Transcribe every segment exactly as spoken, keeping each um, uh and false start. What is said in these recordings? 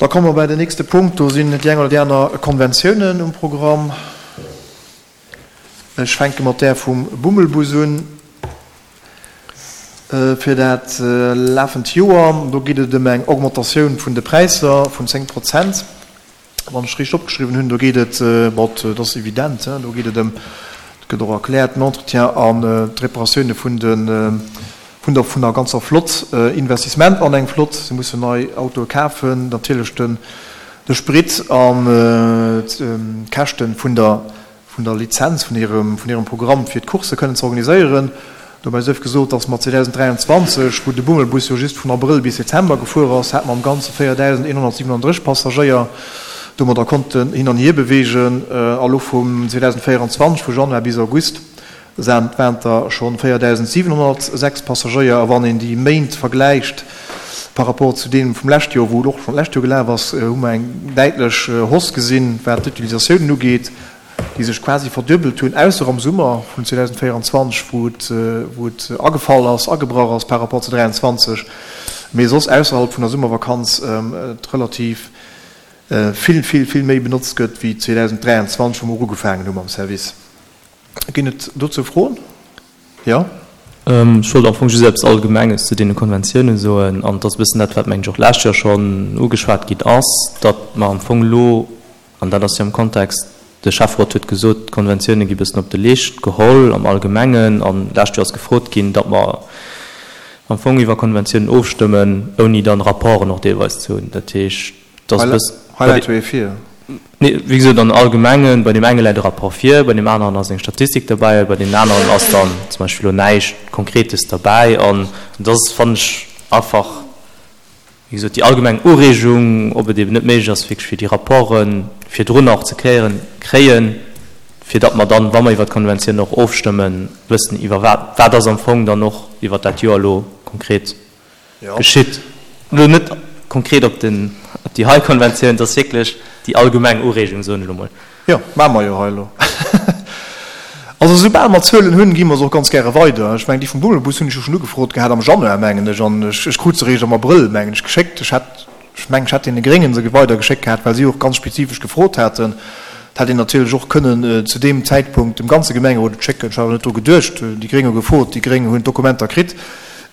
Da komme mer bei den nächste Punkt. Do sinn déi eng oder déi aner Konventiounen um Programm. Ech fänke mat där vum Bummelbus un fir dat lafend Joer. Do geet et ëm eng Augmentatioun vun de Präisser vun zéng Prozent, wann ech richteg opgeschriwwen hunn. Do geet et, bon, dat ass evident, do geet et ëm, dat gëtt och erkläert, den Entretien an d'Reparatioune vun de, vun der, vun der ganzer Flott, Investissement an eng Flott, se mussen nei Autoe kafen, natierlech den, de Sprit an d'Käschte vun der, vun der Lizenz vun hirem, vun hirem Programm fir d'Coursse kënnen ze organiséieren. Dobäi sief gesot, dass mer zweedausend dräianzwanzeg, wou de Bummelbus jo just vun Abrëll bis Dezember gefuer ass, hate mer am Ganze véierdausendeenhonnertsiwenanddrësseg Passagéier domadder konnten hin an hier beweegen. A lo vum zweedausendvéieranzwanzeg, vu Januar bis August, waren et der scho véierdausendsiwenhonnertsechs Passagéier. A wann een déi Méint vergläicht par rapport zu deem vum leschte Joer, wou et och schonn d'lescht Joer gelaf ass, hu mer eng däitlech Hausse gesinn, wat d'Utilisatiounen ugeet, déi sech quasi verduebelt hunn, ausser am Summer vun zweedausendvéieranzwanzeg, wou et, wou et agefall ass, agebrach ass par rapport zu dräianzwanzeg, mee soss ausserhalb vun der Summervakanz et relativ vill, vill, vill méi benotzt gëtt wéi zweedausend dräianzwanzeg, wou mer ugefaangen hu mam Service. Ginn et dozou Froen? Jo? Ech wollt am Fong just eppes Allgemenges zu deene Konventiounen soen, an et ass e bëssen dat, wat, mengen ech, och d'lescht Joer schonn ugeschwat ginn ass, datt mer am Fong elo, an dat ass jo am Kontext, de Schäfferot huet gesot, d'Konventioune gi bëssen op de Leescht geholl am Allgemengen, an d'lescht Joer ass gefrot ginn, datt mer am Fong iwwer Konventiounen ofstëmmen, ouni dann Rapporten och deelweis ze hunn. Dat heescht, et ass e bëssen. Hei läit jo ee vir. Nee, wéi gesot, am Allgemengen, bei deem enge läit e Rapport vir, bei deem aneren ass eng Statistik derbäi, bei deenen aneren ass dann zum Beispill elo näischt Konkretes derbäi. An dat ass, fannen ech, einfach, wéi gesot, déi allgemeng Ureegung, ob et eben net méiglech ass, wierklech fir déi Rapporte virdrun och ze kréien, kréien, fir datt mer dann, wa mer iwwert d'Konventioun och ofstëmmen, wëssen, iwwer wat, wat ass am Fong dann och iwwert dat Joer elo konkret geschitt. Elo net konkret op den, op déi hei Konventioun, et ass wierklech déi allgemeng Ureegung, soen ech elo mol. Jo, maache mer jo hei elo. Also soubal mer Zuelen hunn, gi mer se och ganz gäre weider. Ech mengen, déi vum Bummelbus hunn ech jo schonn ugefrot gehat am Januar, mengen ech, an ech, ech krut se eréischt am Abrëll, mengen ech, geschéckt. Ech hätt, ech mengen, ech hätt deene Gréngen se weidergeschéckt gehat, well si och ganz spezifesch gefrot haten. Et hätt een natierlech och kënnen zu deem Zäitpunkt dem ganze Gemengerot et schécken. Ech hat awer net dru geduecht. Déi Gréng hu gefrot, déi Gréng hunn d'Dokumenter kritt.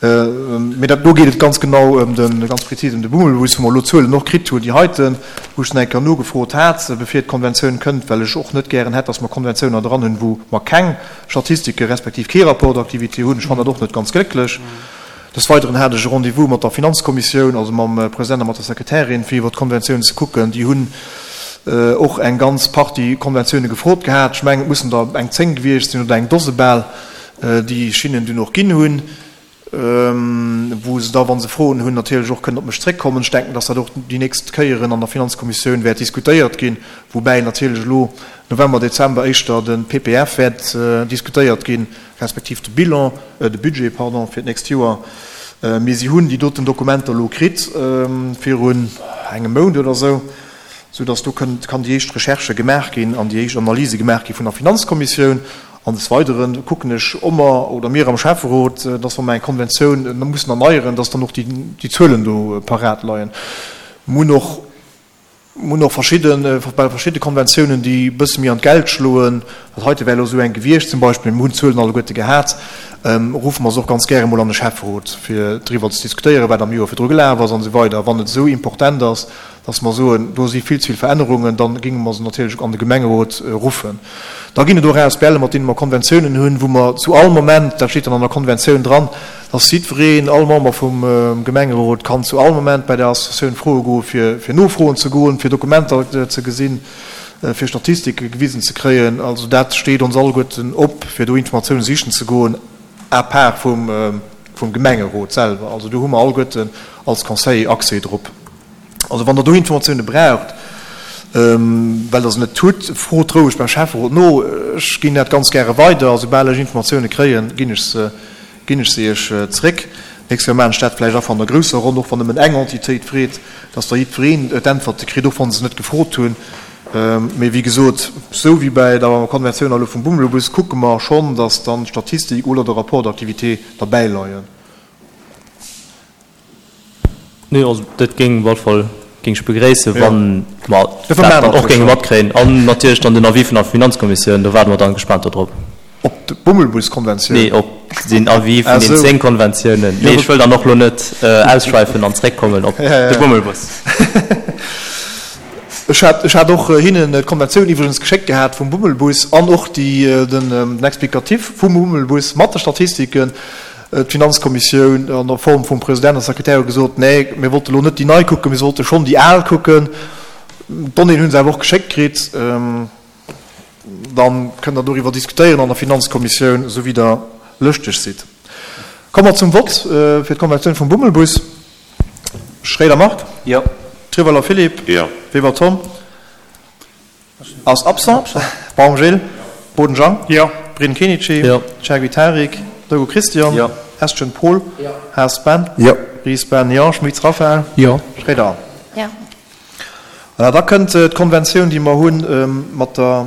Mee dat do geet et ganz genau ëm de, ganz prezis ëm de Bummelbus, wou mer elo d'Zuelen och kritt hunn, déi heiten, wou ech nach eng Kéier nogefrot hat, bevir d'Konventioun kënnt, well ech och net gären hätt, dass mer Konventiouner dran hunn, wou mer keng Statistike respektiv kee Rapport d'activité hunn. Ech fannen dat och net ganz glécklech. Des Weideren hat ech e Rendez-vous mat der Finanzkommissioun, also mam President a mat der Sekretärin, fir iwwer d'Konventioun ze kucken. Déi hunn och eng ganz Partie Konventioune gefrot gehat. Ech mengen, et mussen der eng zéng gewiescht sinn oder eng Dose bal, déi ech hinnen dunn och ginn hunn, wou se da, wa se Froen hunn, natierlech och kënnen op mech zréckkommen. Ech denken, dass dat och déi nächst Kéieren an der Finanzkommissioun wäert diskutéiert ginn, woubäi natierlech elo November, Dezember éischter de P P F wäert diskutéiert ginn, respektiv de Bilan, de Budget, pardon, fir d'nächst Joer. Mee si hunn déi doten Dokumenter elo kritt virun engem Mount oder esou, soudass do kënnt, kann déi éischt Recherche gemaach ginn an déi éischt Analyse gemaach gi vun der Finanzkommissioun. An des Weidere kucken ech ëmmer, oder mir am Schäfferot, dass wa mer eng Konventioun mussen erneieren, dass dann och déi Zuelen do parat leien. Mir hunn och, mir hunn och verschidde, bei verschidde Konventiounen, déi e bësse méi an d'Geld schloen, dat heite wär elo esou eng gewiescht zum Beispill, mir hunn d'Zuelen alleguerte gehat, ruffe mer se och ganz gäre mol an de Schäfferot, fir driwwer ze diskutéieren, wat am Joer virdru gelaf ass an esou weider. Wann et esou important ass, dass mer soen, do si vill ze vill Verännerungen, da géinge mer se natierlech an de Gemengerot ruffen. Da ginn et och A S B L, mat deene mer Konventiounen hunn, wou mer zu all Moment, dat steet dann an der Konventioun dran, dass jiddwereen, all Member vum Gemengerot kann zu all Moment bei der Associatioun froe goen, fir fir nofroen ze goen, fir Dokumenter ze gesinn, fir Statistike gewisen ze kréien. Also dat steet ons alleguerten op, fir do Informatiounen sichen ze goen, à part vum vum Gemengerot selwer. Also do hu mer alleguerten als Conseiller Accès drop. Also wann Der do Informatioune braucht, well Der se net hutt, frot roueg beim Schäfferot no. Ech ginn dat ganz gäre weider. A soubal ech Informatioune kréien, ginn ech se, ginn ech se Iech zréck. Nächst Kéier maachen ech dat vläicht einfach an der grousser Ronn, och wann nëmmen eng Entitéit freet, dass da jiddwereen d'Äntwerte kritt, och wa se net gefrot hunn. Mee wéi gesot, esou wéi bäi der Konventioun elo vum Bummelbus, kucke mer schonn, dass dann d'Statistik oder de Rapport d'activité derbäileien. Nee, also dat géing op alle Fall géing ech begréissen, wa mer dat dann och géinge matkréien. An natierlech dann den Avis vun der Finanzkommissioun, do waarde mer dann gespaant dodrop. Op d'Bummelbus-Konventioun? Nee, op den Avis vun den zéng Konventiounen. Mee ech wëll dann och elo net ausschwäifen an zréckkommen op de Bummelbus. Ech hat, ech hat och hinnen d'Konventioun iwwregens geschéckt gehat vum Bummelbus an och déi, den Explicatif vum Bummelbus mat de Statistiken. D'Finanzkommissioun an der Form vum President a Sekretär hu gesot, Nee, mir wollte elo net déi nei kucken, mir sollte schonn déi al kucken. D'Donnéeën hu se awer och geschéckt kritt. Dann kënnt Der doriwwer diskutéieren an der Finanzkommissioun, esou wéi Der lëschteg sidd. Komme mer zum Vott fir d'Konventioun vum Bummelbus. Schréider Marc. Jo. Treweiler Philippe. Jo. Weber Tom. Ass absent. Baum Gilles. Boden Jean. Jo. Breden Kenichi. Jo. Chergui Tarik. Dogo Christian. Jo. Estgen Paul. Jo. Haas Ben. Jo. Ries Ben. Jo. Schmitz Raphaël. Jo. Schréider Anne. Jo. Voilà, da kënnt d'Konventioun, déi mer hu mat der,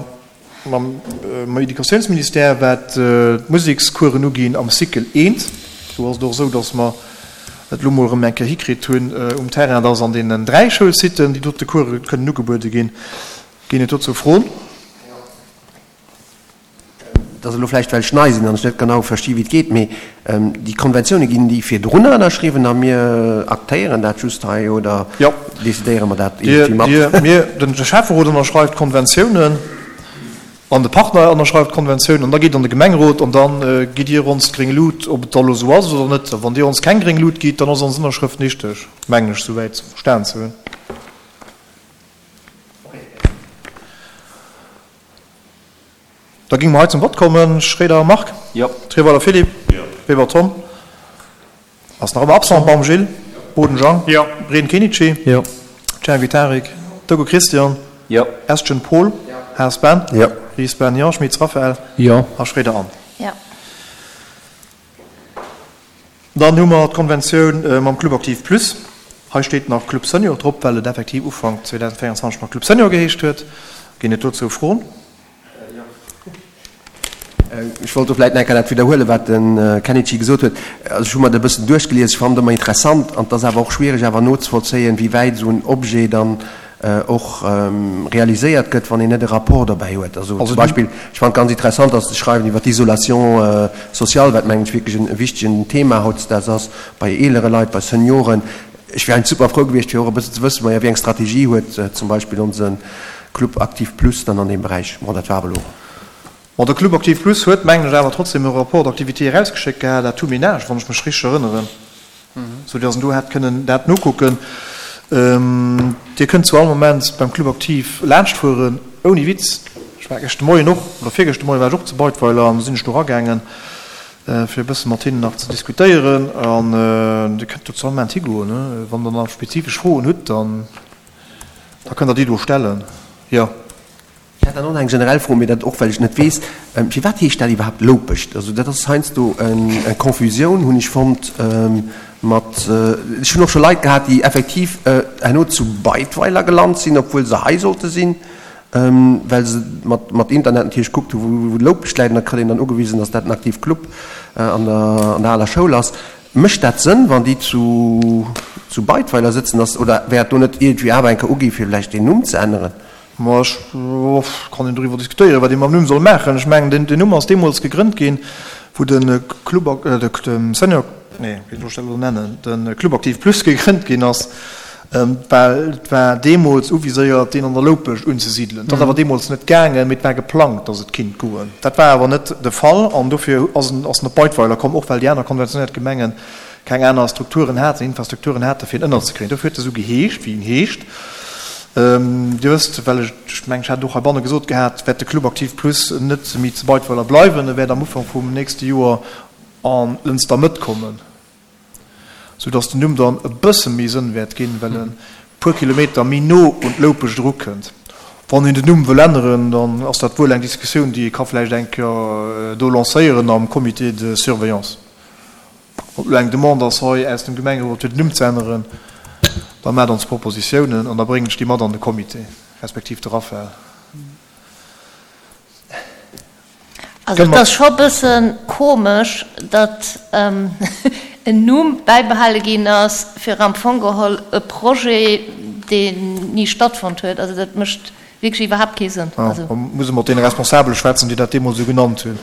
mam Educatiounsministère, wat d'Musekscoursen uginn am Cycle eent. Do ass et och esou, dass mer et elo mol erëm eng Kéier hikritt hunn um Terrain, dass an deenen dräi Schoulsiten déi dote Course kënnen ugebuede ginn. Ginn et dozou Froen? Et ass elo vläicht, well ech nei sinn an ech net genau versti wéi et geet, mee déi Konventioune ginn déi virdrunner ënnerschriwwen a mir aktéieren dat just hei oder decidéiere mer dat iergendwéi mat? Mir, de Schäfferot ënnerschreift d'Konventiounen an de Partner ënnerschreift d'Konventiounen an da geet et an de Gemengerot an da gitt Dir ons d'gréng Lut, ob et da elo esou ass oder net. A wann Dir ons keng gréng Lut gitt, dann ass ons Ënnerschrëft nichteg, mengen ech souwäit verstan ze hunn. Da géinge mer hei zum Vott kommen. Schroeder Marc. Jo. Treweiler Philippe. Jo. Weber Tom. Ass nach ëmmer absent. Baum Gilles. Boden Jean. Jo. Breden Kenichi. Jo. Chergui Tarik. Dogo Christian. Jo. Estgen Paul. Jo. Haas Ben. Jo. Ries Ben, jo. Schmitz Raphaël. Jo. A Schroeder Anne. Jo. Dann hu mer d'Konventioun mam Club Aktiv Plus. Hei steet nach Club Senior drop, well et effektiv Ufank zweedausendvéierundzwanzeg nach Club Senior geheescht huet. Ginn et dozou Froen? Ech wollt do vläicht nach eng Kéier dat widderhuelen, wat de Kenichi gesot huet. Also ech hu mer dat e bëssen duerchgelies. Ech fannen et ëmmer interessant an et ass awer och schwierig awer nozevollzéien, wéi wäit esou en Objet dann och realiséiert gëtt, wann een net e Rapport dobäi huet. Also zum Beispill, ech fannen et ganz interessant, dass se schreiwen iwwer d'Isolation sociale, wat mengen ech wierklech en wichtegen Thema hautdesdaags ass bei eelere Leit, bei Senioren. Ech wär super frou gewiescht, fir och e bëssen ze wëssen, maja, wéi eng Strategie huet zum Beispill onse Club Aktiv Plus dann an deem Beräich. Bon, dat war awer elo. Bon, de Club Aktiv Plus huet, mengen ech, awer trotzdem e Rapport d'activité erausgeschéckt gehat à tout ménage, wann ech mech richteg erënneren, sou dass en do hätt kënnen dat nokucken. Dir kënnt zu all Moment beim Club Aktiv laanschtfueren, ouni Witz. Ech war gëscht de Moien och, oder virgëscht de Moien war ech och zu Beidweiler an do sinn ech do eragaangen, fir e bësse mat hinnen nach ze diskutéieren. An Dir kënnt do zu all Moment higoen. Wann Der nach spezifesch Froen hutt, dann da kënnt Der déi do stellen, jo. Ech hätt dann och nach eng generell Fro, mee dat och well ech et net weess, Firwat heescht dat iwwerhaapt Loupescht? Also dat ass heiansdo eng Confusioun, hunn ech fonnt, mat, ech hunn och scho Leit gehat, déi effektiv herno zu Beidweiler gelant sinn, obwuel se hei sollte sinn, well se mat Internet natierlech gekuckt hu wou Loupescht läit, an da kritt een dann ugewisen, datt dat en aktiv Club an der aler Schoul ass. Mécht dat Sënn, wann déi zu zu Beidweiler sëtzen, datt, oder wär et do net iergendwéi awer eng Kéier ugi fir vläicht deen Numm ze änneren? Ma ech, kann een doriwwer diskutéieren, wat ee mam Numm soll maachen. Ech mengen, deen Numm ass deemools gegrënnt ginn, wou de Club, de Senior, nee, wéi soll ech dat elo nennen, de Club Aktiv Plus gegrënnt ginn ass, well et war deemools uviséiert, deen an der Loupescht unzesidelen. Dat ass awer deemools net gaangen, mee et war geplangt, datt et kinnt goen. Dat war awer net de Fall an dofir ass en ass en op Beidweiler komm, och well déi aner konventionéiert Gemengen keng aner Strukturen haten, Infrastrukturen haten, fir en ënnerzekréien. Dofir huet e sou geheescht, wéi en heescht. Dir wësst, well ech, ech mengen, ech hat et och heibanne gesot gehat, wäert de Club Aktiv Plus net méi zu Beidweiler bleiwen. E wäert am Ufank vum nächste Joer an Lënster Mëtt kommen, soudass den Numm dann e bësse méi Sënn wäert ginn, well e puer Kilometer méi no un d'Loupescht erukënnt. Wann een den Numm wëll änneren, dann ass dat wuel eng Diskussioun, déi ee ka vläicht eng Kéier do lancéieren am Comité de surveillance. Ob elo eng Demande ass hei aus dem Gemengerot, fir den Numm ze änneren, da maacht ons Propositiounen an da bréngen ech déi mat an de Comité, respektiv de Raphaël. Also et ass scho e bësse komesch, datt en Numm bäibehale ginn ass fir am Fong geholl e Projet, deen ni stattfonnt huet. Also dat mécht wierklech iwwerhaapt kee Sënn. Also. Da muss e mat deene Responsabele schwätzen, déi dat deemools esou genannt hunn.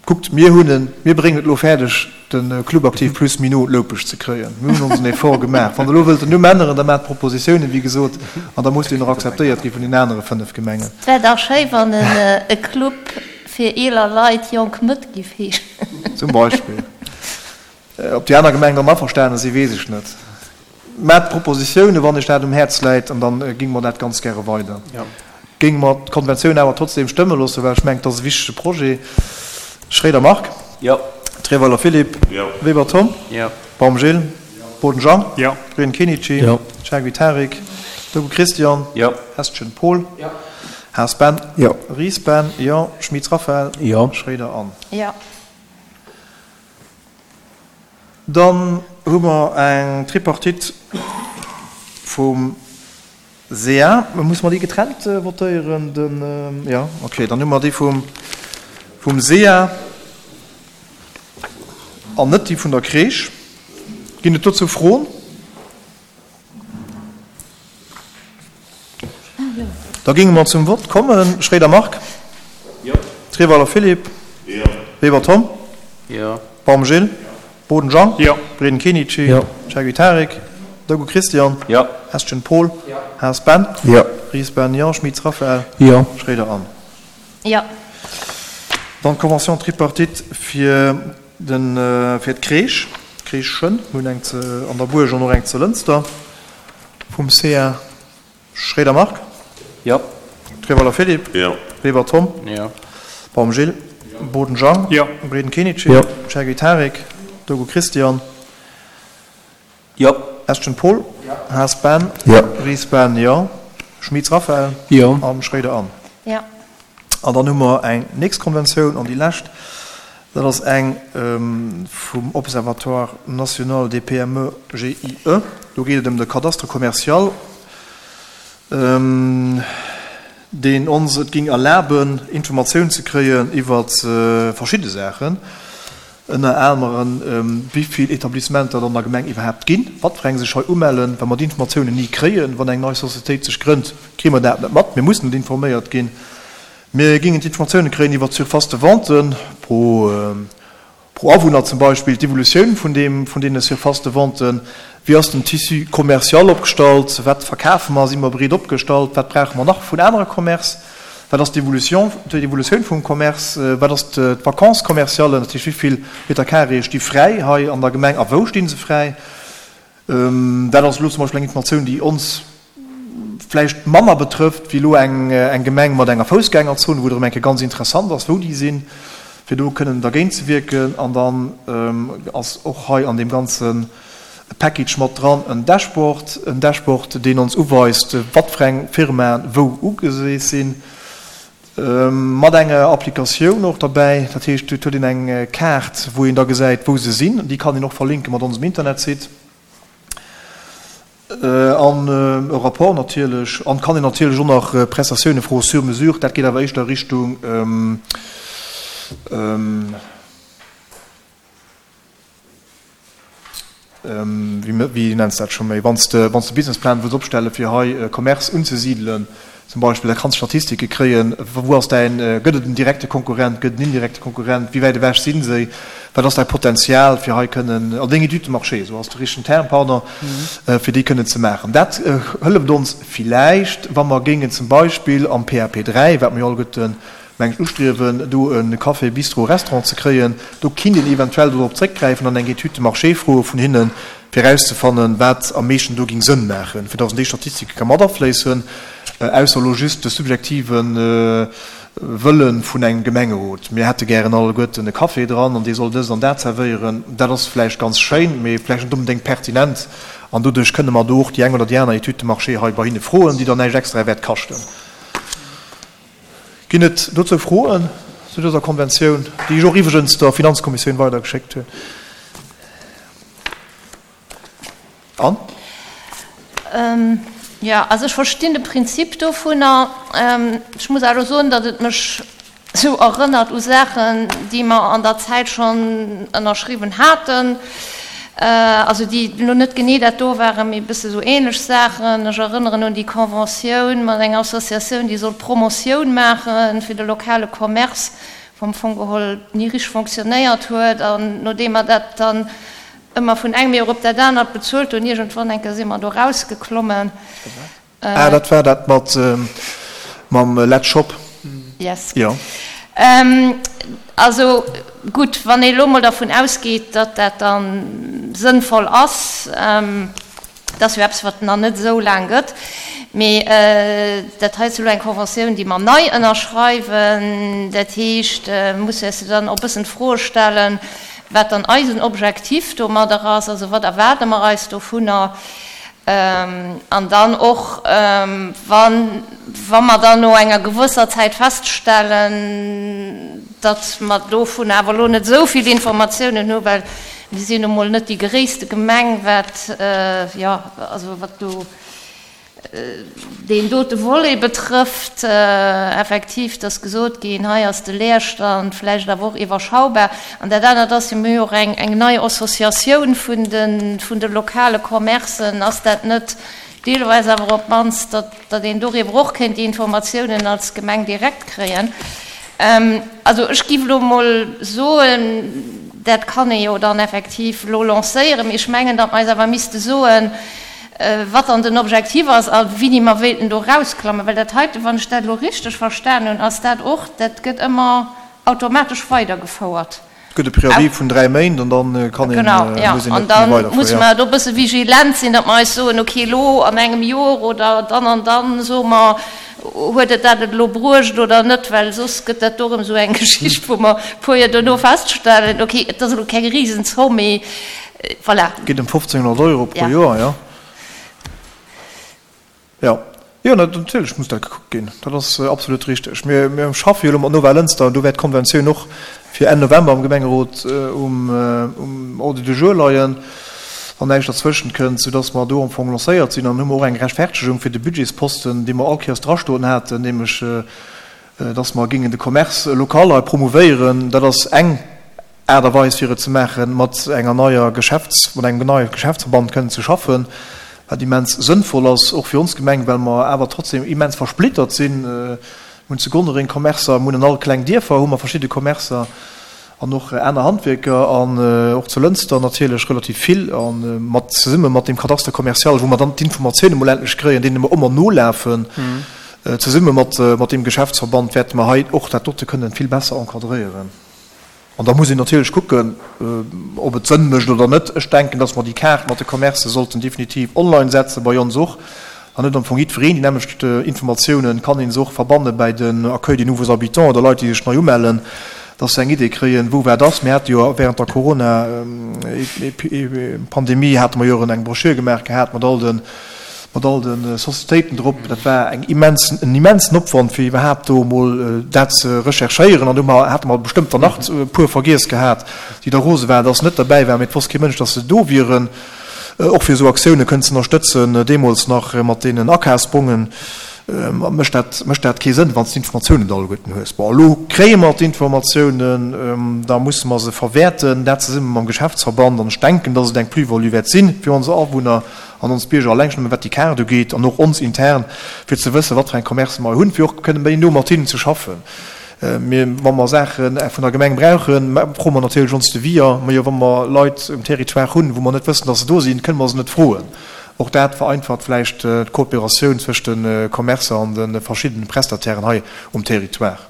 Kuckt, mir hunn en, mir bréngen et elo fäerdeg, de Club Aktiv Plus méi no un d'Loupescht ze kréien. Mir hunn onsen Effort gemaach. Wann Der elo wëllt den Numm änneren, da maacht Propositiounen, wéi gesot, an da muss deen och akzeptéiert gi vun den anere fënnef Gemengen. Et wär dach schéi, wann en e Club fir eeler Leit Jonk Mëtt giff heeschen. Zum Beispill. Ob déi aner Gemengen dann averstane sinn, weess ech net. Maacht Propositiounen, wann Iech dat um Häerz läit, an da géinge mer dat ganz gäre weider. Géinge mer d'Konventioun awer trotzdeem stëmme loossen, well ech mengen, et ass e wichtege Projet. Schroeder Marc. Jo. Treweiler Philippe. Jo. Weber Tom. Jo. Baum Gilles. Jo. Boden Jean. Jo. Breen Kenichi. Jo. Chaguy Tarik. Dogu Christian. Jo. Hestgen Paul. Jo. Haas Ben. Jo. Ries Ben. Jo. Schmitz Raphaël. Jo. Schroeder Anne. Jo. Dann hu mer eng Tripartite vum SEA. Musse mer déi getrennt votéieren? Den, jo, okay. Dann hu mer déi vum, vum SEA an net déi vun der Crèche. Ginn et dozou Froen? Da géinge mer zum Vott kommen. Schroeder Marc. Jo. Treweiler Philippe. Jo. Weber Tom. Jo. Baum Gilles. Boden Jean. Jo. Breden Kenichi. Jo. Chaguy Tarik. Dogu Christian. Jo. Hestgen Paul. Jo. Haas Ben. Jo. Ries Ben, jo. Schmitz Raphaël. Jo. Schroeder Anne. Jo. Dann d'Convention tripartite fir den, fir d'Crèche, d'Crèchen. Mir hunn eng ze, an der Buerg an och eng zu Lënster vum C A. Schroeder Marc. Jo. Treweiler Philippe. Jo. Weber Tom. Jo. Baum Gilles. Jo. Boden Jean. Jo. Breden Kenichi. Jo. Chaguy Tarik. Dogu Christian. Jo. Estgen Paul. Jo. Haas Ben. Jo. Ries Ben, jo. Schmitz Raphaël. Jo. An Schroeder Anne. Jo. An dann hu mer eng nächst Konventioun an déi lescht, dat ass eng vum Observatoire national des P M E G I E. Do geet et ëm de Cadastre commercial, deen ons et ging erlaben, Informatioun ze kréien iwwer verschidde Saachen, ënner aneren, wéi vill Etablissementer et an der Gemeng iwwerhaapt ginn, wat fir eng sech hei umellen, well mer déi Informatiounen ni kréien. Wann eng nei Societéit sech grënnt, kréie mer dat net mat, mir mussen net informéiert ginn. Mir gingen d'Informatiounen kréien iwwer d'Surface de vente pro, pro Awunner zum Beispill, d'Evolutioun vun deem, vun deene Surface de vente, wéi ass den Tissu commercial opgestallt, wat verkafe mer, si mer breet opgestallt, wat brauche mer nach vun anere Commerce, wat ass d'Evolution, d'Evolutioun vum Commerce, wat ass d'Vacances commerciales, dat heescht, wéi vill Meter carré sti fräi hei an der Gemeng a wou sti se fräi. Dat ass elo zum Beispill eng Informatioun, déi ons vläicht manner betrëfft wéi elo eng, eng Gemeng mat enger Foussgängerzon, wou et erëm eng Kéier ganz interessant ass, wou déi sinn, fir do kënnen dergéint ze wierken. An dann ass och hei an deem ganze Package mat dran en Dashboard, en Dashboard, deen ons uweist, wat fir eng Firmaen wou ugesees sinn, mat enger Applikatioun och derbäi. Dat heescht, et huet een eng Kaart, wou een da gesäit, wou se sinn. Déi kann een och verlinke mat onsem Internetsite. An e Rapport natierlech. An kann een natierlech och nach Prestatioune froe sur mesure. Dat geet awer éischter Richtung wéi nenns dat scho méi, wann s de, wann s de Businessplan wëlls opstelle fir hei Commerce unzesidelen zum Beispill, da kanns de Statistike kréien, wou ass däin, gëtt et en direkte Konkurrent, gëtt et en indirekte Konkurrent, wéi wäit ewech si se, wat ass däi Potenzial fir hei kënnen, an deng Étude de marché, esou ass de richtegen Term, pardon, fir déi kënnen ze maachen. Dat hëlleft ons villäicht, wa mer géingen zum Beispill am P A P dräi, wat mer jo alleguerten, meng ech, ustriewen, do e Café, Bistro, Restaurant ze kréien, do kinnt een eventuell dorop zréckgräifen an eng Étude de marché froe vun hinnen, fir erauszefannen, wat am meeschten do géing Sënn maachen, fir datt en déi Statistike ka mat afléissen, ausser elo just de subjektive Wëlle vun engem Gemengerot. Mir hätte gären alleguerten e Café dran an dee soll dëst an dat zerwéieren. Dat ass vläicht ganz schéin, mee vläicht net onbedéngt pertinent. An doduerch kënne mer do och déi eng oder déi aner Étude de marché hei bei hinne froen, déi dann näischt extra wäert kaschten. Ginn et dozou Froen zu dëser Konventioun, déi ech och iwwregens der Finanzkommissioun weidergeschéckt hunn? Anne? Jo, also ech verstinn de Prinzip dovunner. Ech muss awer soen, datt et mech sou erënnert u Saachen, déi mer an der Zäit schonn ënnerschriwwen haten. Also déi elo net genee dat do waren, mee e bësse sou ähnlech Saachen. Ech erënneren un déi Conventioun mat enger Associatioun, déi sollt Promotioun maache fir de lokale Commerce, wou am Fong geholl ni richteg fonctionnéiert huet. An nodeem mer dat dann ëmmer vun engem Joer op dat anert bezuelt hunn, iergendwann eng Kéier si mer do erausgeklommen. Ah, dat war dat mat mam Let's Shop. Yes. Jo. Also gutt, wann ee elo emol dervun ausgeet, datt dat da sënnvoll ass, dat ass jo eppes, wat nach net esou laang gëtt, mee dat hei ass elo eng Conventioun, déi mer nei ënnerschreiwen. Dat heescht, musse eis dann och e bëssen d'Froe stellen, wat dann eisen Objektiv domadder ass, also wat erwaarde mer eis dovunner. An dann och, wann, wa mer dann no enger gewësser Zäit feststellen, datt mer dovun awer elo net esou vill Informatiounen hu, well mir sinn nu mol net déi gréisste Gemeng, wat, jo, also wat do deen dote Volet betrëfft, effektiv, et ass gesot ginn, hei ass de Leerstand vläicht awer och iwwerschaubar. An dat anert ass jo, mir hu jo och eng, eng nei Associatioun vun de, vun de lokale Commercen. Ass dat net deelweis awer op d'mannst, datt, datt een doriwwer och kéint déi Informatiounen als Gemeng direkt kréien? Also ech géif elo emol soen, dat kann ee jo dann effektiv elo lancéieren, mee ech mengen, datt mer eis awer misste soen, wat dann den Objektiv ass a wéini mer wéilten do erausklammen. Well dat heiten, wann ech dat elo richteg verstan hunn, ass dat och, dat gëtt ëmmer automatesch weidergefouert. Et gëtt e Préavis vun dräi Méint an da kann een, Genau, jo. muss een An net méi da weiderfueren, musse jo. mer do e bësse vigilent sinn, datt mer eis soen, okay, elo an engem Jor oder dann an dann soe mer, huet et dat et elo bruecht oder net, well soss gëtt dat do erëm esou eng Geschicht, wou mer e puer Joer duerno feststellen, okay, et ass elo keng Risenzomm, mee voilà. Et geet ëm fofzénghonnert Euro pro Ja. Joer, jo. Jo, jo, natierlech muss dat gekuckt ginn. Dat ass absolut richteg. Mir, mir schaffe jo elo mat Nova Lënster an do wäert d'Konventioun och fir Enn November am Gemengerot um, um Ordre du jour leien, wann näischt derzwëschent kënnt, soudass mer do am Fong lancéiert sinn. An hu mer och eng Rechtfertegung fir de Budgetsposten, dee mer all Kéiers drastoen haten, nämlech dass mer géingen de Commerce local hei promouvéieren. Dat ass eng Aart a Weis, fir et ze maachen, mat enger neier Geschäfts-, mat engem neie Geschäftsverband kënnen ze schaffen, wat immens sënnvoll ass, och fir ons Gemeng, well mer awer trotzdem immens versplittert sinn. Mir hunn zu Gonnereng Commercer, mir hunn an all kleng Dierfer hu mer verschidde Commercer an och aner Handwierker an och zu Lënster natierlech relativ vill. A mat, zesumme mat deem Cadastre commercial, wou mer dann d'Informatioune mol endlech kréien, deene mer ëmmer nolafen, zesumme mat, mat deem Geschäftsverband wäerte mer hei och dat dote kënnen vill besser encadréieren. An da muss een natierlech kucken, ob et Sënn mécht oder net. Ech denken, dass mer déi Kaart mat de Commercë sollten definitiv online setzen, bei ons och. Dann huet am Fong jiddwereen déi nämmlecht Informatiounen, kann ee se och verbanne bäi den Accueil des nouveaux habitants oder Leit, déi sech nei umellen, dass se eng Idee kréien, wou wat ass. Mir hate jo während der Corona-Pandemie hate mer jo eng Broschür gemaach gehat mat all de mat all de Societéiten drop. Dat war eng immensen, en immensen Opwand, fir iwwerhaapt do emol dat ze recherchéieren. An do hate mer bestëmmt der nach e puer vergiess gehat, déi da rose waren, dass se net derbäi waren, mee et wosst kee Mënsch, dass se do wieren. Och fir esou Aktioune kënnen ze ënnerstëtzen, deemools nach mat deenen Akafsbongen, mécht dat, mécht dat kee Sënn, wann s d'Informatiounen net alleguerten hues. Bon, elo kréie mer d'Informatiounen, da musse mer se verwäerten, dat zesumme mam Geschäftsverband. An ech denken, dass et eng Plus-value wäert si fir ons Awunner an ons Bierger, eleng schonn nëmme wat déi Kaart ugeet, an och ons intern, fir ze wëssen, wat fir eng Commercë mer hunn, fir och kënne méi no mat hinnen ze schaffen. Mir, wa mer Saache vun der Gemeng brauchen, froe mer natierlech ons Deviser. Mä jo, wa mer Leit um Territoire hunn, wou mer net wëssen, dass se do sinn, kënne mer se net froen. Och dat vereinfacht vläicht d'Kooperatioun zwëscht de Commercer an de verschiddene Prestatairen hei um Territoire.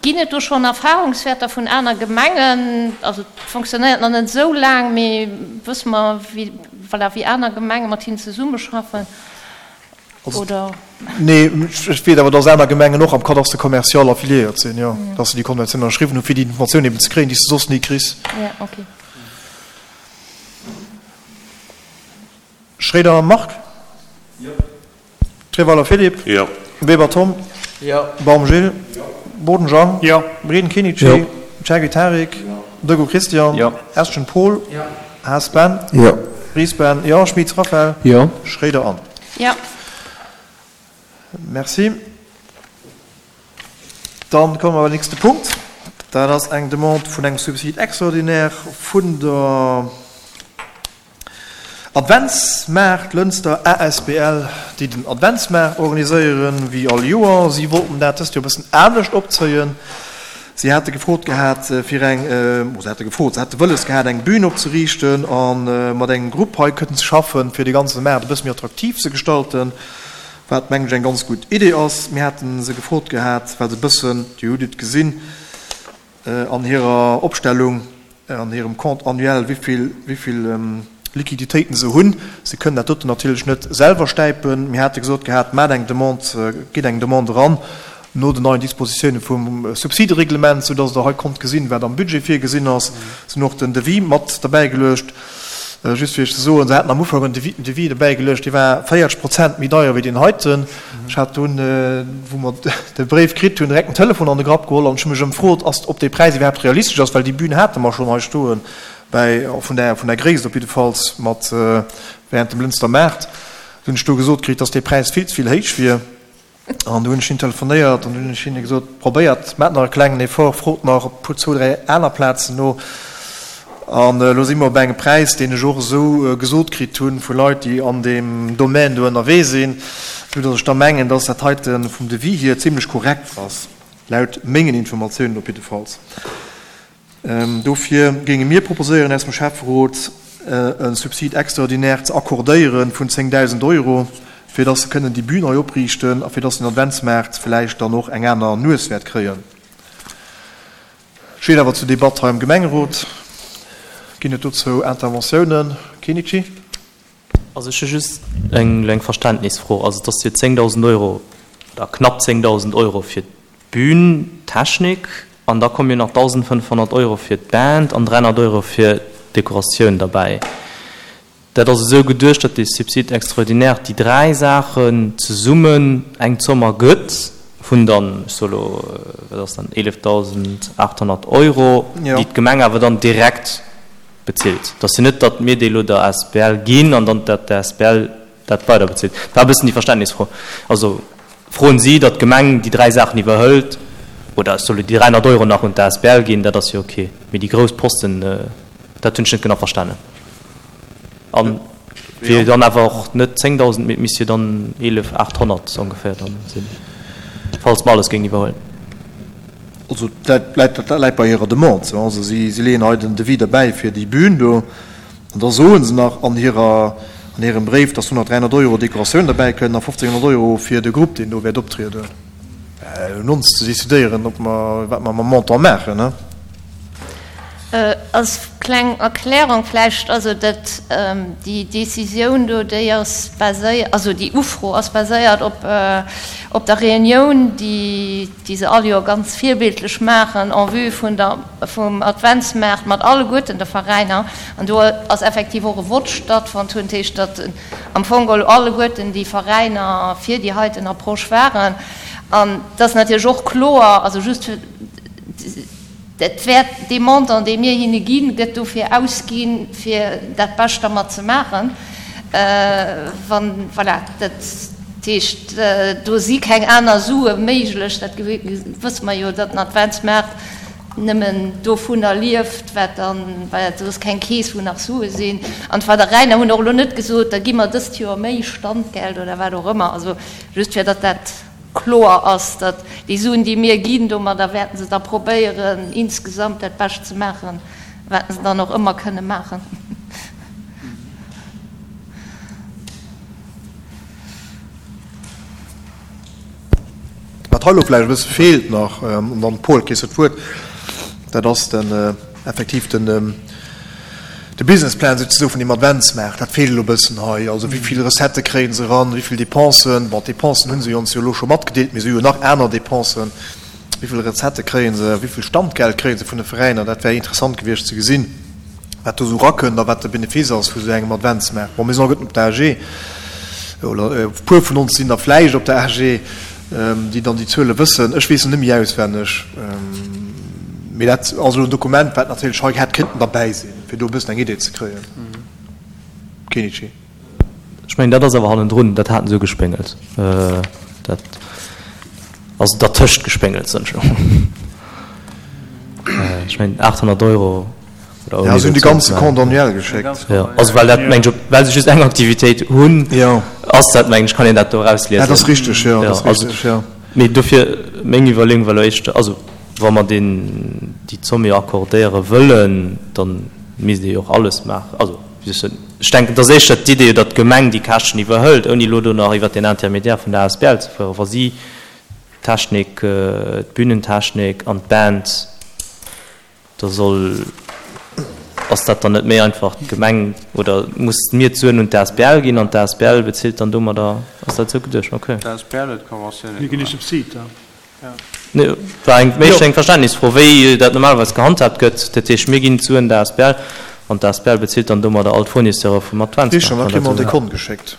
Ginn et do schonn Erfahrungswäerter vun aner Gemengen? Also et fonctionnéiert nach net esou laang, mee wësse mer, wéi, voilà, wéi aner Gemenge mat hinnen zesummeschaffen, oder? Nee, ech weess awer, dass aner Gemengen och am Cadastre commercial affiliéiert sinn, jo, dass se déi Konventioun ënnerschriwwen hunn, fir déi Informatioun eben ze kréien, déi s de soss ni kriss. Ja, okay. Schroeder Marc. Jo. Treweiler Philippe. Jo. Weber Tom. Jo. Baum Gilles. Jo. Boden Jean. Jo. Breden Kenichi. Jo. Chergy Tarik. Jo. Dego Christian. Jo. Estgen Paul. Jo. Haas Ben. Jo. Ries Ben. Jo. Schmitz Raphaël. Jo. Schroeder Anne. Jo. Merci. Dann komme mer beim nächste Punkt. Dat ass eng Demande vun engem Subside extraordinaire vun der Adventsmaart Lënster asbl, déi den Adventsmaart organiséieren, wéi all Joer. Si wollten dat dëst Joer e bëssen anescht opzéien. Si hate gefrot gehat, fir eng, oh, se hate gefrot, se hate wëlles gehat, eng Bühn opzeriichten a mat engem Grupp hei kënnen ze schaffen, fir de ganze Maart e bësse méi attraktiv ze gestalten, wat, mengen ech, eng ganz gutt Idee ass. Mir hate se gefrot gehat, well se e bëssen, Dir hutt et gesinn an hirer Opstellung, an hirem Compte annuel, wéi vill, wéi vill Liquiditéiten se hunn. Se kënnen dat doten natierlech net selwer stäipen. Mir hate gesot gehat, Maacht eng Demande, gitt eng Demande eran no den neien Dispositiounen vum Subsidereglement, soudass Der hei konnt gesinn, wat am Budget virgesinn ass. Se hunn och den Devis mat derbäigeluecht. Just fir Iech ze soen, se haten am Ufank en Devis derbäigeluecht, dee war véierzeg Prozent méi deier wéi deen heiten. Ech hat dunn, wou mer de Bréif kritt hunn, direkt den Telefon an de Grapp geholl an ech hu mech ëmfrot, ass, ob dee Präis iwwerhaapt realistesch ass, well déi Bühn hate mer schonn hei stoen, bäi, vun der, vun der Gréisst op jiddefalls, mat während dem Lënster Maart. Du hunn ech do gesot kritt, dass dee Präis vill ze vill héich wier. An du hunn ech hinne telefonéiert an du hunn ech hinne gesot, Probéiert, maacht nach e klengen Effort, frot nach op puer, zwou, dräi aner Plazen no. An elo si mer op engem Präis, deen ech och esou gesot kritt hu vu Leit, déi an deem Domän do ënnerwee sinn, soudass ech da mengen, dass dat heite vum Devis hier zimlech korrekt ass, laut mengen Informatiounen op jiddefalls. Dofir géinge mir proposéieren aus dem Schäfferot, e Subside extraordinaire ze accordéiere vun zéngdausend Euro, fir dass se kënnen déi Bühn hei opriichten a fir dass den Adventsmaart vläicht dann och eng aner Nues wäert kréien. Steet awer zur Debatt hei am Gemengerot. Ginn et dozou Interventiounen? Kenichi? Also ech hu just eng eng Verständnisfro. Also et ass jo zéngdausend Euro oder knapp zéngdausend Euro fir d'Bühntechnik an da komme jo nach dausendfënnfhonnert Euro fir d'Band an dräihonnert Euro fir d'Dekoratioun derbäi. Dat ass esou geduecht, datt dee Subside extraordinaire déi dräi Saachen zesummen eng Zomm ergëtt vun dann, ech soe lo, wat ass dann, eelefdausendachthonnert Euro, déi d'Gemeng awer dann direkt bezilt. Et ass jo net, datt mir déi elo der asbl ginn an dann datt d'asbl dat weiderbezilt. Dat war e bëssen déi Verständnisfro. Also froen si, datt d'Gemeng déi dräi Saachen iwwerhëlt, oder ech soe lo déi dräihonnert Euro nach un d'asbl ginn, dat ass jo ok, mee déi grouss Posten, dat hunn ech net genau verstanen. An wier dann awer och net zéngdausend, mee et misst jo dann eelef aathonnert ongeféier dann sinn, falls mer alles géingen iwwerhuelen. Also dat läit, dat läit bei hirer Demande. Also si, si leeën hei den Devis derbäi fir déi Bühn do. An da soe se nach an hirer, an hirem Bréif, dass do nach dräihonnert Euro Dekoratioun derbäi kënn a fofzénghonnert Euro fir de Grupp, deen do wäert optrieden. Un ons ze decidéieren, ob mer, wat mer mam Montant maachen, ne? Als kleng Erklärung vläicht, also dat, déi Décisioun do, déi ass baséiert, also déi Ufro ass baséiert op, op der Reunioun, déi, déi se all Joer ganz virbildlech maachen en vue vun der, vum Adventsmaart mat alleguerten de Veräiner. An do ass effektiv och e Vott stattfonnt hunn, dat heescht, datt am Fong geholl alleguerten déi Veräiner fir déi heiten Approche waren. An et ass natierlech och kloer, also just fir, dat wäert, dee Montant, dee mir hinne ginn, gëtt dofir ausginn, fir dat Bescht dermat ze maachen. Wann, voilà, dat heescht, do si keng aner Sue méiglech, dat wësse mer jo, datt den Adventsmaart nëmmen dovunner lieft, wat dann, well do ass keng Keess, wou nach Sue sinn. An d'Veräiner hunn och elo net gesot, da gi mer dëst Joer méi Standgeld oder wat och ëmmer. Also just fir datt dat kloer ass, datt déi Suen, déi mir ginn, domadder wäerten se da probéieren, insgesamt dat Bescht ze maachen, wat se dann och ëmmer kënne maachen. Wat hei elo vläicht e bësse feelt nach, an dann, Paul, kriss de d'Wuert, dat ass den effektiv den de Businessplan souzesoe vun deem Adventsmaart. Dat feelt elo e bëssen hei. Also wéi vill Recettë kréie se eran, wéi vill Dépensen, bon, d'Dépensen hu se jo ons jo elo scho matgedeelt, mee se hu jo nach aner Dépensen, wéi vill Recettë kréie se, wéi vill Standgeld kréie se vun de Veräiner, dat wär interessant gewiescht ze gesinn, wat do esou erakënnt a wat de Benefice ass vu sou engem Adventsmaart. Bon, mir sinn alleguerten op der A G, oder e puer vun ons sinn der vläicht op der A G, déi dann déi Zuele wëssen. Ech weess se net méi auswenneg, mee dat ass elo en Dokument, wat natierlech hei hätt kéinten derbäi sinn, fir do e bëssen eng Idee ze kréien. Kenichi. Ech mengen, dat ass awer hannendrun, dat haten se ugespéngelt. Dat ass dertëscht gespéngelt, soen ech elo. Ech mengen aathonnert Euro oder ouni. Ja, se hunn de ganze Compte annuel geschéckt. Jo, also well dat mengen ech, well se just eng Aktivitéit hunn, ass dat mengen ech, kann een dat do erausliesen. Dat ass richteg, jo, dat ass richteg, jo. Mee dofir meng Iwwerleeung war elo éischter, also wa mer deen, déi Zomm jo accordéiere wëllen, da misst ee jo och alles maachen. Also wéi soll ech soen, ech denken, et ass éischter d'Idee, datt d'Gemeng déi Käschten iwwerhëlt, ouni elo do nach iwwert deen Intermédiaire vun der asbl ze fueren, wa si d'Technik, d'Bühnentechnik an d'Band, da soll, ass dat dann net méi einfach d'Gemeng oder muss mir d'Suen un d'asbl ginn an d'asbl bezilt dann domadder? Ass dat esou geduecht? Okay. D'asbl huet d'Conventioune Mir ginn gemaach. e Subsid, ja. Nee, war eng méi eng Verständnisfro, wéi dat normalerweis gehandhaabt gëtt. Dat heescht, mir ginn d'Suen der asbl an d'asbl bezilt dann domadder all d'Fournisseure vum Adventsmaart. Wann Richteg, an da dat kritt mer esou. en Dekont geschéckt,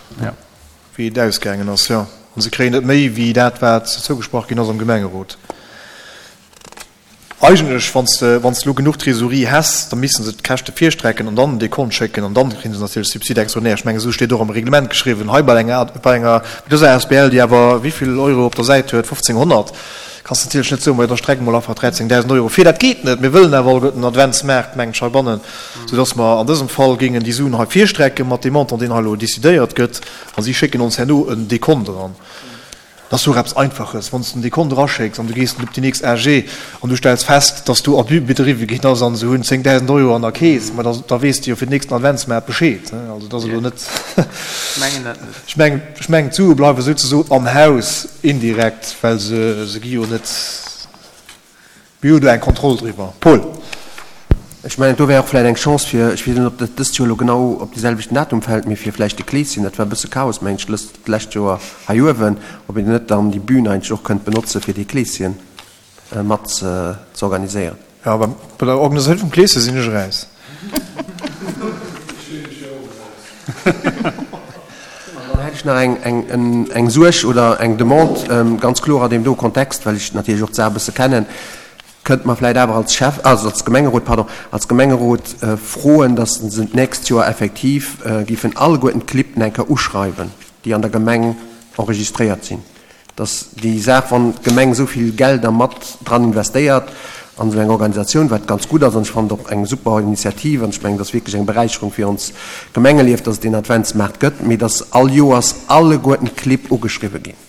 wéi et ausgaangen ass, jo. An se kréien net méi wéi dat, wat zougesprach ginn ass am Gemengerot. Eigentlech, wann s de, wann s de elo genuch Trésorerie häss, da misste se d'Käschte virstrecken an dann en Dekont schécken an dann kréie se natierlech Subside extraordinaire. Ech mengen, esou steet och am Reglement geschriwwen. Hei bei enger, bei enger, bei dëser asbl, déi awer wéivill Euro op der Säit huet, fofzénghonnert, kanns de natierlech net soen, majo da strecke mol einfach dräizéngdausend Euro vir. Dat geet net. Mir wëllen awer alleguerten den Adventsmaart, mengen ech, heibannen, soudass mer an dësem Fall géingen déi Suen hei virstrecke mat deem Montant, deen hei elo décidéiert gëtt, a si schécken ons herno en Dekont eran. Dat ass jo och eppes Einfaches, wann s de en Dekont eraschécks an du gees op déi nächst A G an du stells fest, dass do Abus bedriwwe ginn ass an se hunn zéngdausend Euro an der Keess, ma da da weess de jo fir den nächsten Adventsmaart Bescheed. Also dat ass elo net, ech mengen, ech mengen d'Sue bleiwe souzesoen am Haus indirekt, well se se gi jo net. Mir hu do eng Kontroll driwwer. Paul. Ech mengen, do wär och vläicht eng Chance fir, ech weess net, ob dat dëst Joer elo genau op dee selwechten Datum fält, mee fir vläicht de Kleeschen, dat war e bësse Chaos, mengen ech, lëst, d'lescht Joer hei uewen, ob een net dann déi Bühn eigentlech och kënnt benotze fir dee Kleeschen mat ze organiséieren. Jo, bei der Organisatioun vum Kleeschen sinn ech eraus. An dann hätt ech nach eng, eng Suerg oder eng Demande, ganz kloer an deem do Kontext, well ech natierlech och d'Saach e bësse kennen, Kënnt mer vläicht awer als Schäff, also als Gemengerot, pardon, als Gemengerot froen, dass se d'nächst Joer effektiv géifen alleguerten d'Clibb eng Kéier uschreiwen, déi an der Gemeng enregistréiert sinn, dass déi Saach, wann d'Gemeng esou vill Gelder mat dran investéiert an esou eng Organisatioun, wat ganz gutt ass, an ech fannen et och eng super Initiativ an ech mengen, et ass wierklech eng Beräicherung fir ons Gemengelief, dass et deen Adventsmaart gëtt, mee dass all Joers alleguerten d'Clibb ugeschriwwen ginn.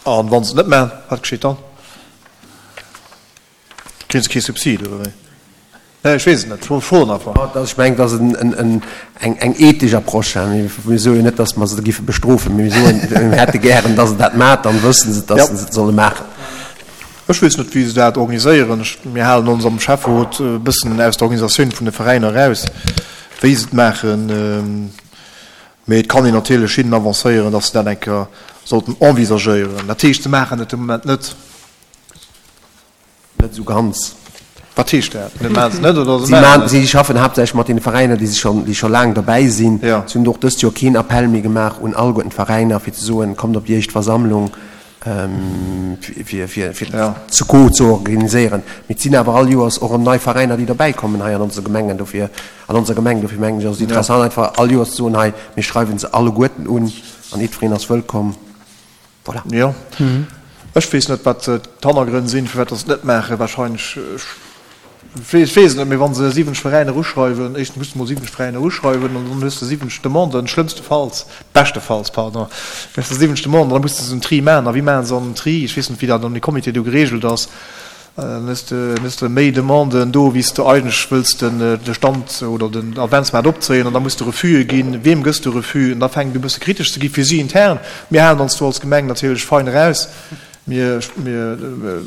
An wann se et net maachen, wat geschitt dann? Kréien se kee Subsid oder wéi? Nee, ech weess et net, ech froen einfach. Ech mengen, et ass eng ethesch Approche. Mir soen jo net, datt mer se da géife bestrofen, mee mir soen, mir hätte gären, datt se dat maachen, dann wësse se, datt se et solle maachen. Ech weess net, wéi se dat organiséieren. Mir halen ons am Schäfferot e bëssen aus der Organisatioun vun de Veräiner eraus, wéi se et maachen. Mee et kann een natierlech hinnen avancéieren, datt se dat eng Kéier sollten envisagéieren. Dat heescht, se maachen et de Moment net. Net esou ganz. Wat heescht dat? Net maachen se net oder se Si maachen et? Si schaffen haaptsächlech mat deene Veräiner, déi schonn, déi scho laang derbäi sinn. Si hunn och dëst Joer keen Appell méi gemaach un alleguerten d'Veräiner, fir ze soen, kommt op déi éischt Versammlung, fir, fir, fir d'Secours ze organiséieren. Mee et sinn awer all Joers och erëm nei Veräiner, déi derbäikommen hei an onse Gemengen. Dofir, an onser Gemeng. Dofir mengen ech, ass et interessant, einfach all Joers ze soen, hei, mir schreiwe se alleguerten un an jiddwereen ass wëllkomm. Voilà. Jo. Ech weess net, wat d'Hannergrënn sinn, firwat datt se et net maachen. Wahrscheinlech, ech weess et net, mee wa se siwwenzeg Veräiner uschreiwen, éischtens muss de mol siwwenzeg Veräiner uschreiwen an dann hues de siwwenzeg Demanden, schlëmmstefalls, beschtefalls, pardon, hues de siwwenzeg Demanden an da muss de se en Tri maachen. A wéi maache se an en Tri? Ech weess net, wéi dat an de Comité do geregelt ass. Dann hues de, hues de méi Demanden do, wéi s de eigentlech wëlls den, de Stand oder den Adventsmaart opzéien. An da muss de Refusë ginn. Weem gëss de Refus? An da fänkt et u bësse kritesch ze gi fir si intern. Mir halen ons do als Gemeng natierlech fein eraus. Mir, mir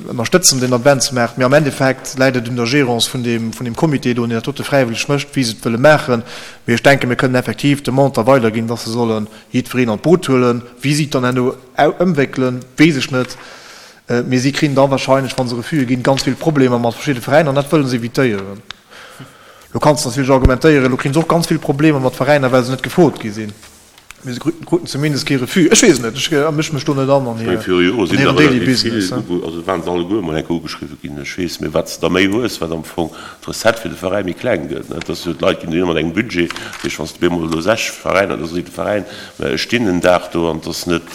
ënnerstëtzen den Adventsmaart. Mee am Endeffekt läit et un der Gérance vun deem, vun deem Comité do, deen dat dote fräiwëlleg mécht, wéi se et wëlle maachen. Mee ech denken, mir kënnen effektiv d'Demande da weiderginn, dass se solle jiddwereen an d'Boot huelen. Wéi si et dann herno ëmwéckelen, weess ech net. Mee si kriegen da wahrscheinlech, wa se Refuse ginn, ganz vill Problemer mat verschidde Veräiner an dat wëlle se évitéieren. Lo kanns de natierlech argumentéieren, elo kriegen se och ganz vill Problemer mat Veräiner, well se net gefrot gi sinn. Mee se kruten zumindest kee Refus. Ech weess et net, ech mësch mech do net an an Ech menge viru Jore sinn hiren der daily relativ vill, business. also waren se alleguer emol eng Kéier ugeschriwwe ginn. Ech weess, mee wat s de der méi hues, wat am Fong d'Recette fir de Veräi méi kleng gëtt. Et ass jo, d'Leit ginn dohinner mat engem Budget. Dat heescht, wann s de op eemol elo sech Veräiner, da seet de Veräin, mä ech stinn en Dag do an et ass net,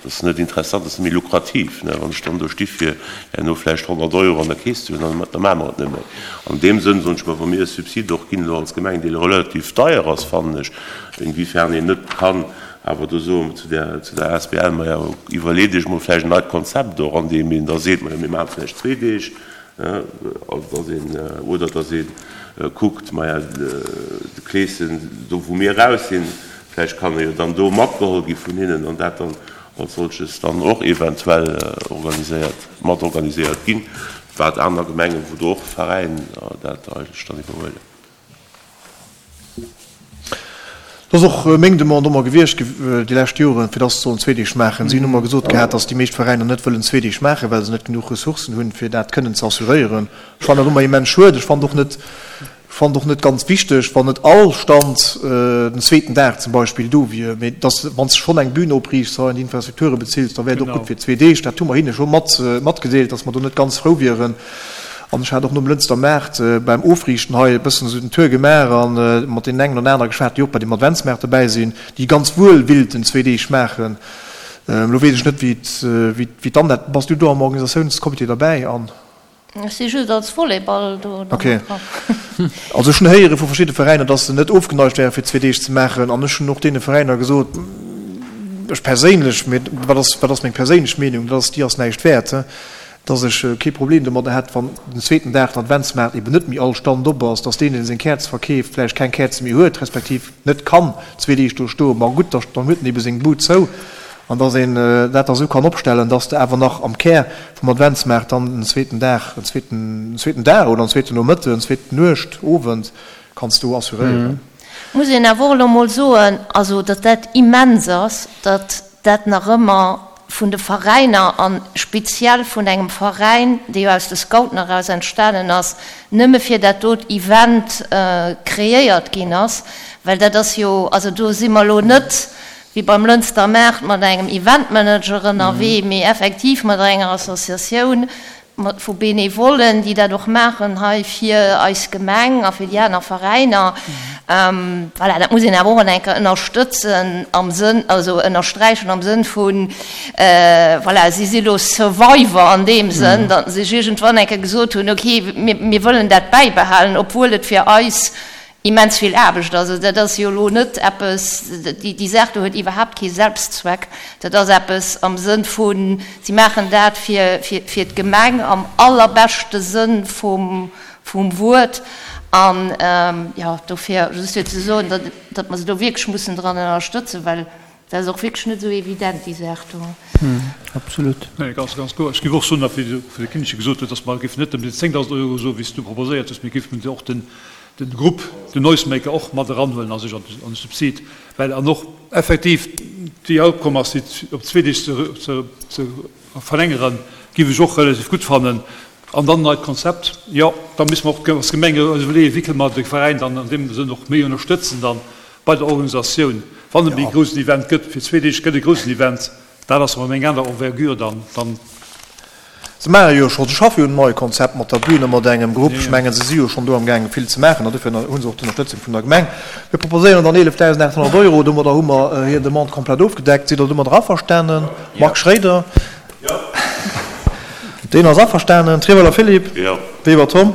Dat ass net interessant, dat ass net méi lukrativ. Wann ech dann do sti fir herno vläicht honnert Euro an der Keess ze hunn, dann da maache mer et net méi. An deem Sënn soen ech mer, wa mir e Subsid och ginn elo als Gemeng, dee relativ deier ass, fannen ech, inwiefern een net kann awer do soen zu der zu der asbl, maja, iwwerleet Iech mol vläicht en neit Konzept och, an deem een da seet, majo, mir maache vläicht zwee Deeg, also dass een, oder dass ee kuckt, maja, de Kleeschen, do wou mir eraus sinn, vläicht kann e jo dann do matgeholl gi vun hinnen an dat dann als solches dann och eventuell organiséiert, mat organiséiert ginn, wat aner Gemengen, wou do och Veräin dat eigentlech dann iwwerhuelen. Dat ass och meng Demande ëmmer gewiescht déi lescht Joren, fir dass se sollen zwee Deeg maachen. Si hunn ëmmer gesot gehat, dass déi meescht Veräiner net wëllen zwee Deeg maachen, well se net genuch Ressourcen hunn, fir dat kënnen ze assuréieren. Ech fannen dat ëmmer immens schued. Ech fannen och net, fannen och net ganz wichteg, wann net all Stand den zweeten Dag zum Beispill do wier, mee dass, wann s de schonn eng Bühn opriichts an déi Infrastrukture bezills, da wär et och gutt fir zwee Deeg. Dat hu mer hinne scho mat, matgedeelt, dass mer do net ganz frou wieren. An ech hat och nom Lënster Maart beim Ofriichten hei e bëssen esou den Tour gemaach a mat deenen engen oder anere geschwat, déi och bei deem Adventsmaart dobäi sinn, déi ganz wuel willten zwee Deeg maachen. Elo weess ech net, wéi wéi d'Annette, bass du do am Organisatiounscomité derbäi, Anne? Ech si just als Volleyball do Ok. Also ech hunn héiere vu verschidde Veräiner, dass se net ofgeneigt wäre fir zwee Deeg ze maachen. An ech hunn och deene Veräiner gesot, ech perséinlech, mee wat ass, wat ass meng perséinlech Meenung, dat ass, déi ass näischt wäert, dass ech kee Problem domadder hätt, wann den zweeten Dag den Adventsmaart eben net méi all Stand op ass, dass deen, deen seng Käerz verkeeft, vläicht keng Käerze méi huet, respektiv net kann zwee Deeg do stoen. Ma gutt, da dann huet en ebe seng Bud zou. An dass een dat da sou kann opstellen, dass de awer nach am Kär vum Adventsmaart dann en zweeten Dag, en zweeten, en zweeten Dag oder en zweeten Nomëtten, en zweeten Nuecht, Owend kanns do assuréieren. Muss een awer och elo mol soen, also datt dat immens ass, datt dat nach ëmmer vun de Veräiner a speziell vun engem Veräin, dee jo aus de Scouten eraus entstanen ass, nëmme fir dat dot Event kreéiert ginn ass, well dat ass jo, also do si mer elo net wéi beim Lënster Maart mat engem Eventmanager ënnerwee, mee effektiv mat enger Associatioun vu Benevollen, déi dat och maachen hei fir eis Gemeng a fir déi aner Veräiner. Voilà, dat muss een awer och eng Kéier ënnerstëtzen am Sënn, also ënnersträichen am Sënn vun, voilà, si si lo Survivor an deem Sënn, datt se sech iergendwann eng Kéier gesot hunn, okay, mir, mir wëllen dat bäibehalen, obwuel et fir eis immens vill Aarbecht ass. Also dat ass jo elo net eppes, déi Saach do huet iwwerhaapt kee Selbstzweck. Dat ass eppes am Sënn vu, si maachen dat fir d'Gemeng am allerbeschte Sënn vum Wuert. An jo, dofir just fir ze soen, datt mer se do wierklech mussen dran ënnerstëtzen, well dat ass och wierklech net esou evident, déi Saach do. Absolut. Nee, ganz, ganz kloer. Ech géif och soen, wéi de Kinneche gesot huet, datt mer géifen net nëmmen déi zéngdausend Euro soen, wéi s du proposéiert hues, mee géifen och den den Grupp, den Noisemaker och mat eranhuelen a sech an de Subsid, well an och effektiv déi Outcome ass, déi op zwee Deeg ze ze verlängeren, géif ech och relativ gutt fannen. An dann neit Konzept, jo, da musse mer och als Gemeng eis iwwerleeën, wéi kënne mer de Veräin dann an deem Sënn och méi ënnerstëtzen dann bei der Organisatioun, wann et méi e groussen Event gëtt. Fir zwee Deeg gëtt e groussen Event, dat ass erëm eng aner Envergure dann. Dann. Se maache jo scho, se schaffe jo un neie Konzept mat der Bühn a mat engem Grupp. Ech mengen, se si jo schonn do amgaangen, vill ze maachen an dofir hu se och d'Ënnerstëtzung vun der Gemeng. Mir proposéieren dann eelefdausendachthonnert Euro. Domadder hu mer hir Demande komplett ofgedeckt. Sidd Der domadder averstanen? Marc Schroeder? Deen ass averstanen. Treweiler Philippe? Weber Tom?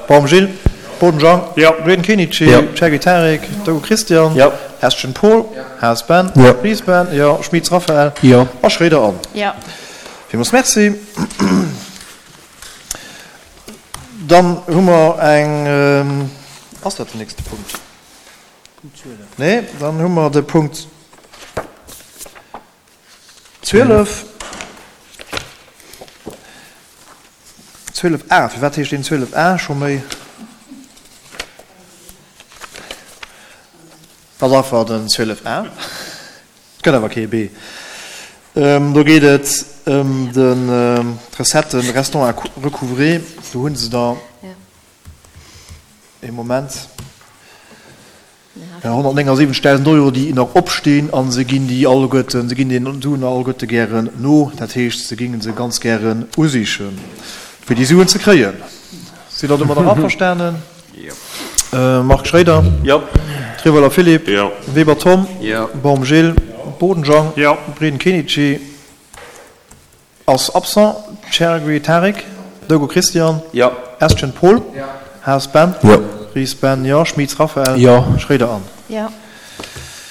Baum Gilles? Boden Jean? Breden Kenichi? Cherki Tarik? Dogo Christian? Hestgen Paul? Haas Ben? Ries Ben? Jo. Schmitz Raphaël? A Schroeder Anne? Villmools Merci. Dann hu mer eng, ass dat den nächste Punkt? Nee, dann hu mer de Punkt zwielef. Zwielef a, firwat heescht deen zwielef a scho méi? Dat ass einfach den zwielef a. Et gëtt awer kee B. Do geet et ëm d'Recetten restant à recouvrer. Do hu se der ee Moment honnertnéngasiwwenzegdausend Euro, déi nach opstinn, a se ginn déi alleguerten, se ginn deenen Suen alleguerte gären no. Dat heescht, se géinge se ganz gären usichen, fir déi Suen ze kréien. Sidd Der domadder averstanen? Marc Schroeder? Jo. Treweiler Philippe? Jo. Weber Tom? Jo. Baum Gilles? Jo. Boden Jean? Jo. Breden Kenichi? Ass absent, Chergui Tarik, Dogo Christian. Jo. Estgen Paul. Jo. Haas Ben. Jo. Ries Ben, jo. Schmitz Raphaël. Jo. Schroeder Anne. Jo.